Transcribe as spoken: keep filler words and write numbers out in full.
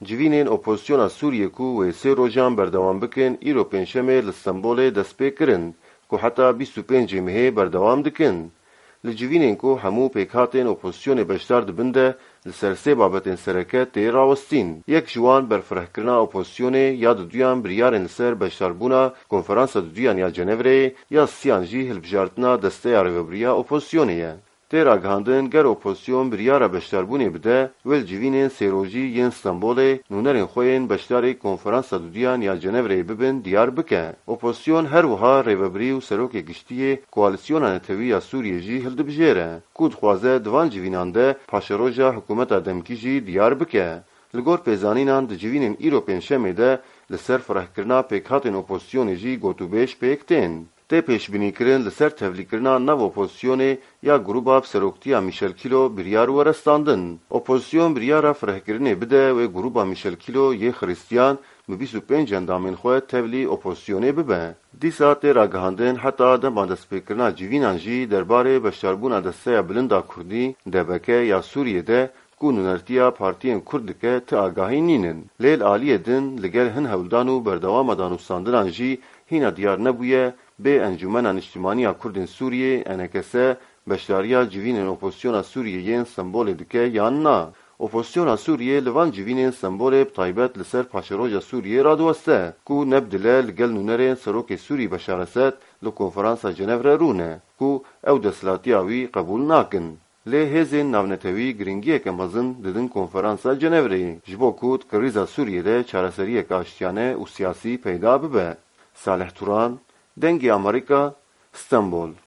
Civînên opozisyona Sûriyê ku wê sê rojan berdewam bikin, îro pêncşemê li Stenbolê dest pê kirin, ku heta bîst û pêncê mehê berdewam dikin. Li civînên ku hemû pêkhatên opozisyonê beşdar dibin de li ser sê babetên sereke tê rawestîn. Yek ji wan berfirehkirina opozisyonê ya duduyan biryarên li ser beşdarbûna Konferansa Duduyan ya Cenevreyê, ya siyan jî hilbijartina desteya rêvebiriya opozisyonê ye. Tê ragihandin, ger opozisyon biryara beşdarbûnê bide, wê li civînên sêrojî yên Stenbolê nûnerên xwe yên beşdarî Konferansa Duduyan ya Cenevreyê bibin diyar bike. Opozisyon her wiha rêvebirî û serokê giştî yê Koalîsyona Netewî ya Sûriyê jî hildibijêre, ku dixwaze di van civînan de paşeroja hikûmeta demkî jî diyar bike. Li gor pêzanînan di civînên îro pêncşemê de li ser firehkirina pêkhatên opozisyonê jî gotûbêj pêk tên. Tê pêşbînîkirin li ser tevlîkirina nav opozisyonê ya grûba bi seroktiya Michel Kilo biryar were standin. Opozisyon biryara firehkirinê bide wê grûba Michel Kilo yê Xiristiyan bi bîst û pênc endamên xwe tevlî opozisyonê bibe. Dîsa tê ragihandin heta dema destpêkirina civînan jî derbarê beşdarbûna desteya bilind a Kurdî, D B K, ya Sûriyê de ku nûnertiya partiyên Kurd dike ti agahî nînin. Lê li aliyê din li gel hin hewldan û berdewama danûstandinan jî hîna diyar nebûye bê Encûmena Niştimanî ya Kurdên Sûriyê, E N K S, beşdariya civînên opozisyona Sûriyê yên Stenbolê dike yan na. Opozisyona Sûriyê li van civînên Stenbolê bi taybet li ser paşeroja Sûriyê radiweste ku ne bi dile li gel nûnerên Serokê Sûrî Beşar Esed li Konferansa Cenevre rûne ku ew desthilatiya wî qebûl nakin. Lê hêzên navnetewî giringiyeke mezin didin Konferansa Cenevreyê, ji bo ku di krîza Sûriyê de çareseriyeke aştiyane û siyasî peyda bibe. Salih Turan, Dengê Amerîka, Stenbol.